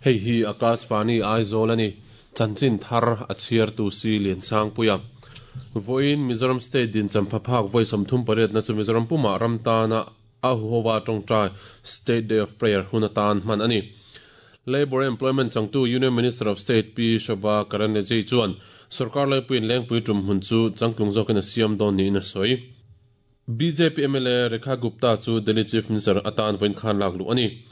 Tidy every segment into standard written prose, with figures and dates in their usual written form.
Hei hi Akashvani Aizawl a ni. Chanchin thar a chhiartu si Liansangpuia. Vawiin Mizoram State din champhaphak vawi 38 na chu Mizoram pumah ram tana a huhova tawngtai State Day of Prayer hun atan hman a ni. Labour Employment changtu Union Minister of State Pi Shobha Karandlaje chuan sorkar laipuiin lengpui tum hun chu changtlung zawkin a siam dawn niin a sawi. BJP MLA Rekha Gupta chu Delhi Chief Minister atan vawiin khan lak luh a ni.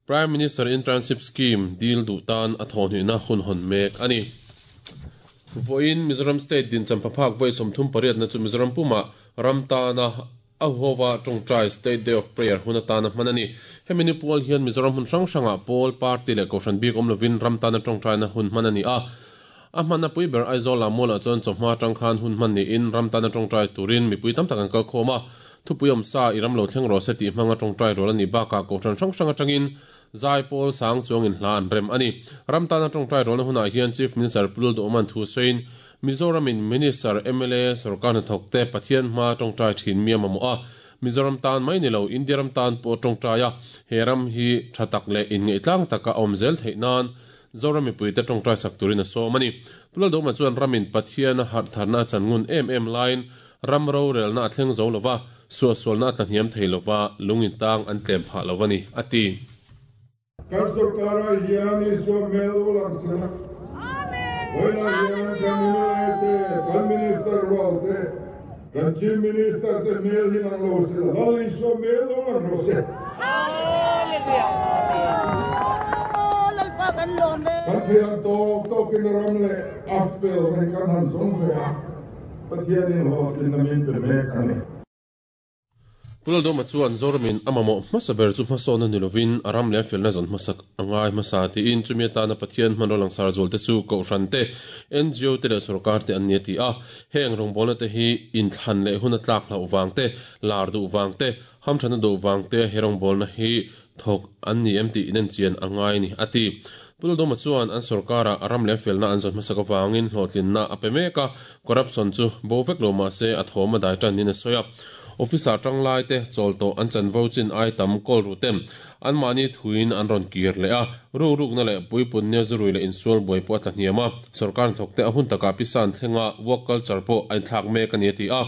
Prime Minister Internship Scheme dil duh tan a thawhhnihna hun hawn mek a ni. Vawiin Mizoram State din champhaphak vawi 38 na chu Mizoram pumah ram tana a huhova tawngtai State Day of Prayer hun atana hman a ni. Hemi ni pual hian Mizoram hun hrang hrangah pawl party leh kohhran bik awm lovin ram tana tawngtaina hun hman a ni a. A hmanna pui ber Aizawl ah mualah chuan chawhma atang khan hun hman niin ram tana tawngtai turin mipui tam tak an kal khawm a. Thupui awm sa i ram lo thleng rawh se tih hmanga tawngtai rual a nih bakah kohhran hrang hrang atangin zai pawl sang chuangin hla an rem a ni. Ram tana tawngtai rualna hunah hian Chief Minister Pu Lalduhawman thu sawiin Mizoramin Minister, mla, sorkar hnathawk te Pathian hma tawngtai thin mi a mamawh a. Mizoram tan mai ni lo India ram tan pawh tawngtai a, he ram hi tha tak leh inngeihtlang taka a awm zel theih nan Zoram mipuite tawngtai sak turin a sawm a ni. Pu Lalduhawma chuan ramin Pathian a harh tharna a chan ngun em em laiin ram rorelna a thleng zo lova, suahsualna a tlahniam thei lova, lung intang an tlem phah lo a ni, a ti. Kan sorkarah hian Isua hmel lo lang sela, vawilah hian kan mla te, kan minister rual te, kan chief minister te hmel hi lang lo sela, Lal Isua hmel lo lang rawh se. Kan thiam tawk tawkin ram leh a fel hi kan han zawng ve a, Pathianin hlawhtlinna min pe mek a ni. Pu Lalduhawma chuan Zoramin a mamawh hmasa ber chu hmasawnna ni lovin a ram leh a felna zawn hmasak a ngai hmasa tiin chumi atana Pathian hmanraw langsar zual te chu Kohhran te, ngo te leh sorkar te an ni a ti a. Heng rawngbawlna te hi inthlan leh hun a tlak hlauh vang te, lar duh vang te, hamthatna duh vang te he rawngbawlna hi thawk an ni em tih inenchian a ngai a ni a ti. Pu Lalduhawma chuan an sorkarah a ram leh felna an zawn hmasak avangin hlawhtlinna a pe mek a, corruption chu bo vek lo mah se a thawm a dai tan niin a sawi a. Officer tanglai te chawl tawh an chanvo chin ai tam kawl ru te anmahni thuin an rawn kir leh a, rukrukna leh puipunnia zurui leh insual buai pawh a tla hniam a, sorkar hnathawk te a hun takah pisan thlenga work culture pawh a inthlak mek a ni a ti a.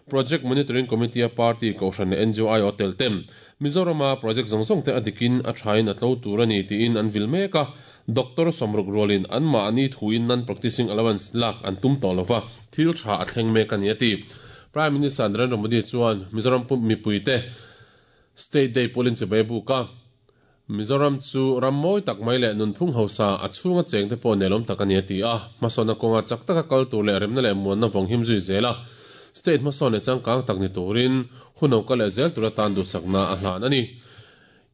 Project Monitoring Committee a party kohhran leh ngo aiawh tel te Mizorama project zawng zawng te a dikin a thain a tlo tur a ni tiin an vil mek a, Doctor sawmruk rualin anmahni thuin non-practicing allowance lak an tum tawh lova, thil tha a thleng mek a ni a ti. Prime Minister Narendra Modi chuan Mizoram mipuite State Day pawlin chibai a buk a, Mizoram chu ram mawi tak mai leh nunphung hausa a chhunga chengte pawh nelawm tak a ni a ti a, hmasawnna kawnga chak taka kal tur leh remna leh muanna vawng him zui zel a, state hmasawn leh changkang tak ni turin hun lo kal leh zel tura tan duhsakna a hlan a ni.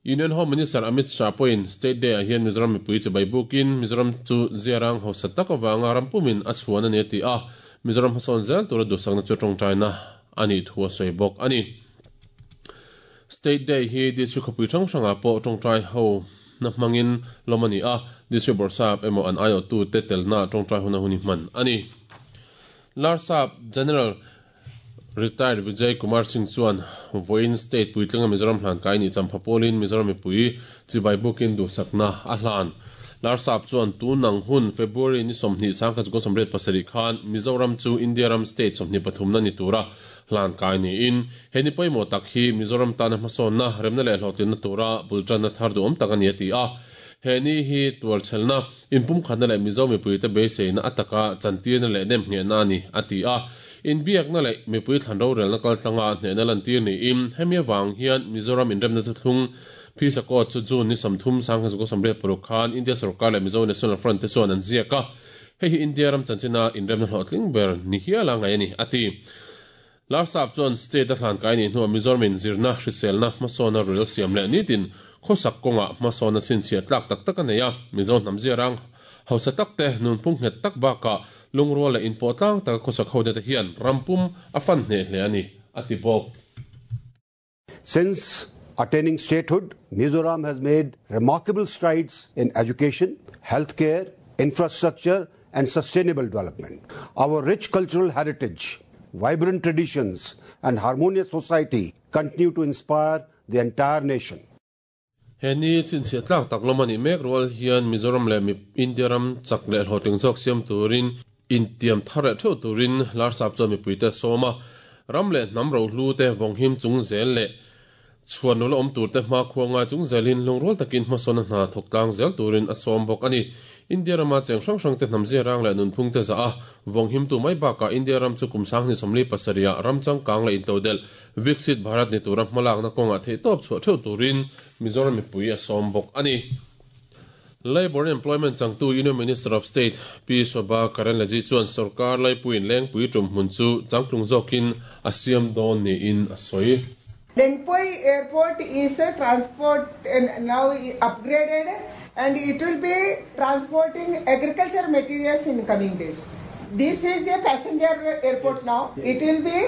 Union Home Minister Amit Shah pawhin State Day ah hian Mizoram mipui chibai bukin Mizoram chu ziarang hausa tak avanga ram pumin a chhuan a ni a ti a, Mizoram hmasawn zel tura duhsakna chu tawngtaina a nih thu a sawi bawk a ni. State Day hi District khawpui hrang hrangah pawh tawngtai ho na hmangin lawm a ni a, District Bawrhsap emaw an aiawhtute telna tawngtai huna hun hi hman a ni. Larsap General Retired Vijay Kumar Singh chuan vawiin State puitlinga Mizoram hlan kai nih champha pawlin Mizoram mipui chibai bukin duhsakna a hlan. Larsap chuan tun ang hun February ni 20 1987 khan Mizoram chu India ram state 23na ni tura hlan kai niin he ni pawimawh tak hi Mizoram tana hmasawnna remna leh hlawhtlinna tura bultanna thar duhawm tak a ni a ti a. He ni hi tuarchhelna, inpumkhatna leh Mizo mipuite beiseina a taka chantirna leh nemnghehna a ni a ti a. Inbiakna leh mipui thlan rorelna kaltlanga hnehna lantir niin hemi avang hian Mizoram inremna thuthlung Phisa Court chu June ni 30 1986 khan India sorkar leh Mizo National Front te chuan an ziak a. Hei hi India ram chanchina inremna hlawhtling ber ni hial a ngaih a ni, a ti. Larsap chuan state a hlan kai nih hnuah Mizoramin zirna, hriselna, hmasawnna rel siam leh nitin khawsak kawngah hmasawnna chhinchhiah tlak tak tak a nei a, Mizo hnam ziarang hausa tak te, nunphung nghet tak bakah lungrual leh inpawh tlang taka khawsak ho te hian ram pum a fan hneh hle a ni, a ti bawk. Since attaining statehood, Mizoram has made remarkable strides in education, healthcare, infrastructure, and sustainable development. Our rich cultural heritage, vibrant traditions, and harmonious society continue to inspire the entire nation. He ni chhinchhiah tlak tak lawm a nih mek rual hian Mizoram leh India ram chak leh hlawhtling zawk siam turin intiam thar leh theuh turin Larsap chuan mipuite a sawm a. Ram leh hnam rohlu te vawnghim chung zel leh chhuan nula awm turte hmakhua ngai chung zelin lungrual takin hmasawn a hna thawk tlang zel turin a sawm bawk a ni. India rama cheng hrang hrangte hnamzia rang leh nunphungte zah a vawnghimtu mai bakah India ram chu kum 2027 ah ram changkang leh intodelh Viksit Bharat ni tura hmalakna kawngah theihtawp chhuah theuh turin Mizoram mipui a sawm bawk a ni. Labour and Employment changtu Union Minister of State Pi Shobha Karandlaje chuan sorkar laipuiin Lengpui tumhmun chu changtlung zawkin a siam dawn niin a sawi. Lengpui Airport is transport now upgraded and it will be transporting agriculture materials in coming days. This is a passenger airport now. It will be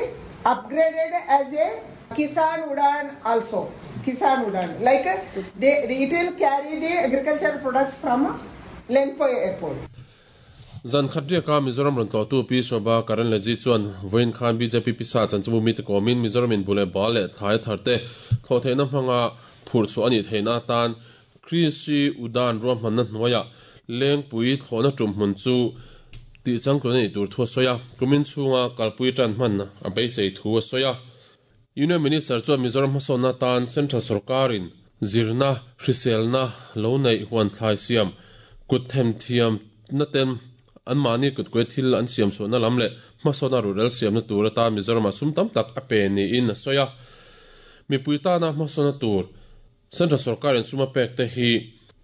upgraded as a Kisan Udan also. Kisan Udan. Like they, it will carry the agriculture products from Lengpui Airport. Zan khat riaka Mizoram rawn tlawhtu Pi Shobha Karandlaje chuan vawiin khan bjp pisa chanchimbu mite kawmin Mizoram in bu leh bal leh thlai thar te thlawh theihna hmanga phurh chhuah a nih theihna atan Krishi Udan ruahmanna hnuaiah Lengpui thlawhna tum hmun chu tih changtlun a nih tur thu a sawi a, kumin chhunga kalpui tan hman a beisei thu a sawi a. Union Minister chuan Mizoram hmasawnna atan Central sorkarin zirna, hriselna lo neih huan thlai siam, kut themthiamna ten anmahni kutkuai thil an siam chhuahna lam leh hmasawnna ruhrel siamna tur atan Mizoramah sum tam tak a pe niin a sawi a. Mipui tana hmasawnna tur Central sorkarin sum a pek te hi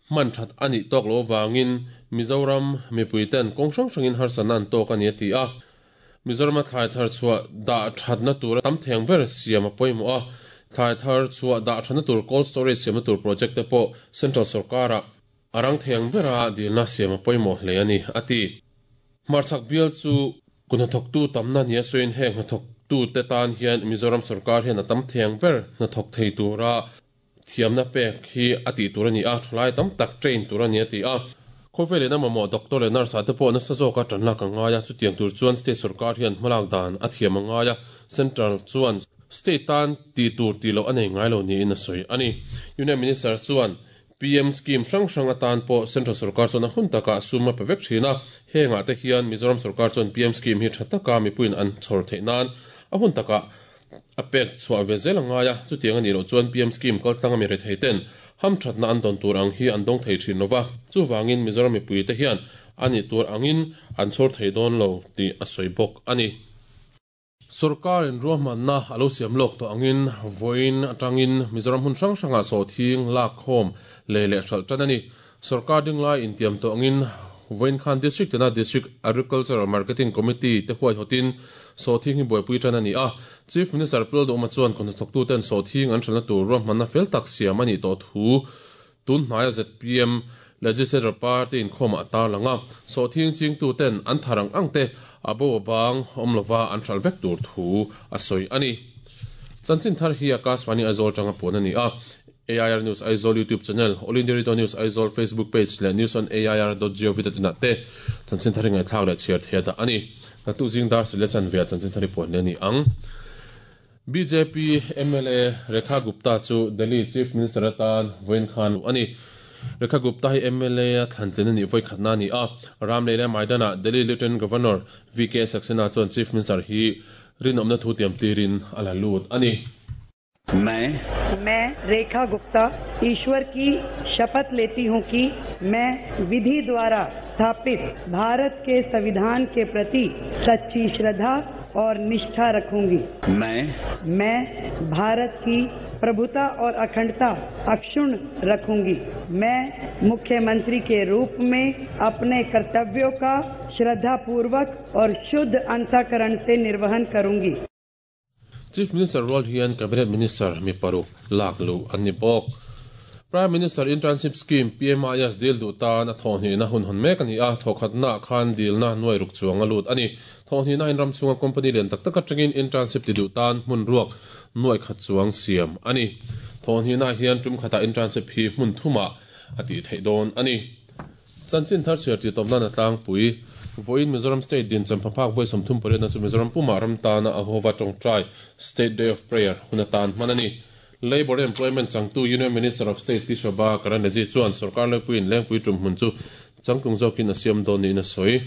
hman that a nih tawk loh avangin Mizoram mipui ten kawng hrang hrangin harsatna an tawk a ni a ti a. Mizorama thlai thar chhuah dah thatna tur tam theng ber siam a pawimawh a, thlai thar chhuah dah thatna tur cold storage siamna tur project te pawh central sorkarah a rang theng bera dilna siam a pawimawh hle a ni, a ti. Hmarchhak bial chu kut hnathawktu tamna nia sawiin heng hnathawktute tan hian Mizoram sorkar hian a tam theng ber hnathawk thei tura Thiamna pek hi a tih tur a ni a, thalai tam tak train tur a ni a ti a. Khawvel in a mamawh doctor leh nurse ah te pawh nasa zawka tan lak a ngai a, chutiang tur chuan state sorkar hian hmalak dan a thiam a ngai a, central chuan state tan tih tur tih loh a nei ngai lo niin a sawi a ni. Union Minister chuan PM scheme hrang hrang atan pawh central sorkar chuan a hun takah sum a pe vek thin a, hengah te hian Mizoram sorkar chuan PM scheme hi tha taka mipuiin an chhawr theih nan a hun takah A pek chhuah ve zel a ngai a, chutiang a nih loh chuan PM scheme kaltlang a mi rethei ten hamthatna an dawn tur ang hi an dawng thei thin lo va, chuvangin Mizoram mipuite hian a nih tur angin an chhawr thei dawn lo tih a sawi bawk a ni. Sorkarin ruahmanna a lo siam lawk tawh angin vawiin atangin Mizoram hmun hrang hrangah sawhthing lakkhawm lei leh hralh tan a ni. Sorkar dinglai intiam tawh angin vawiin khan District tena District Agricultural Marketing Committee te huaihawtin sawhthing hi buaipui tan a ni a. Chief Minister Pu Lalduhawma chuan kawhnathawktuten sawhthing an hralhna tur ruahmanna fel tak siam a nih tawh thu tun hnaia zpm Legislature Party inkhawmah a tarlang a. Sawhthing chingtuten an thar ang ang te a bo a bang awm lova an hralh vek tur thu a sawi a ni. Chanchin thar hi Akashvani Aizawl tanga puan a ni a. AIR News Aizawl YouTube Channel, All India Radio News Aizawl Facebook Page leh News on AIR dot gov dot in ah te chanchin thar hi ngaihthlak leh chhiar thei a dah a ni. Naktuk zing dar sile chanve ah chanchin thar hi puan leh a ni ang. Bjp mla Rekha Gupta chu Delhi Chief Minister atan vawiin khan luh a ni. Rekha Gupta hi mla a thlantlin a nih vawikhatna a ni a. Ramlei leh Maidan-ah Delhi Lieutenant Governor VK Saxena chuan Chief Minister hi rinawmna thu tiam tirin a la lut a ni. मैं मैं रेखा गुप्ता ईश्वर की शपथ लेती हूँ कि मैं विधि द्वारा स्थापित भारत के संविधान के प्रति सच्ची श्रद्धा और निष्ठा रखूंगी मैं मैं भारत की प्रभुता और अखंडता अक्षुण्ण रखूंगी मैं मुख्यमंत्री के रूप में अपने कर्तव्यों का श्रद्धापूर्वक और शुद्ध अंतःकरण से निर्वहन करूंगी Chief Minister rual hian Cabinet Minister mi paruk lak luh an ni bawk. Prime Minister Internship Scheme, PMIS, dil duh tan a thawhhnihna hun hawn mek a ni a, thawkhatnaah khan dilna nuai ruk chuang a lut a ni. Thawhhnihna in ram chhunga company lian tak tak atangin internship ti duh tan hmun ruak nuai khat chuang siam a ni. Thawhhnihnaah hian tum khatah internship hi hmun thumah a tih theih dawn a ni. Chanchin thar chhiar tih tawp nan a tlangpui. Vawiin Mizoram State din champhaphak vawi 38 na chu Mizoram pumah ram tana a hova tawngtai, State Day of Prayer, hun atan hman a ni. Labour and Employment changtu Union Minister of State Pi Shobha Karandlaje chuan sorkar laipuiin Lengpui tumhmun chu changtlung zawkin a siam dawn niin a sawi.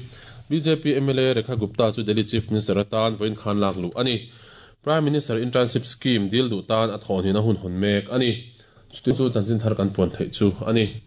Bjp mla Rekha Gupta chu Delhi Chief Minister atan vawiin khan lak luh a ni. Prime Minister Internship Scheme dil duh tan a thawhhnihna hun hawn mek a ni. Chuti chu chanchin thar kan puan theih chu a ni.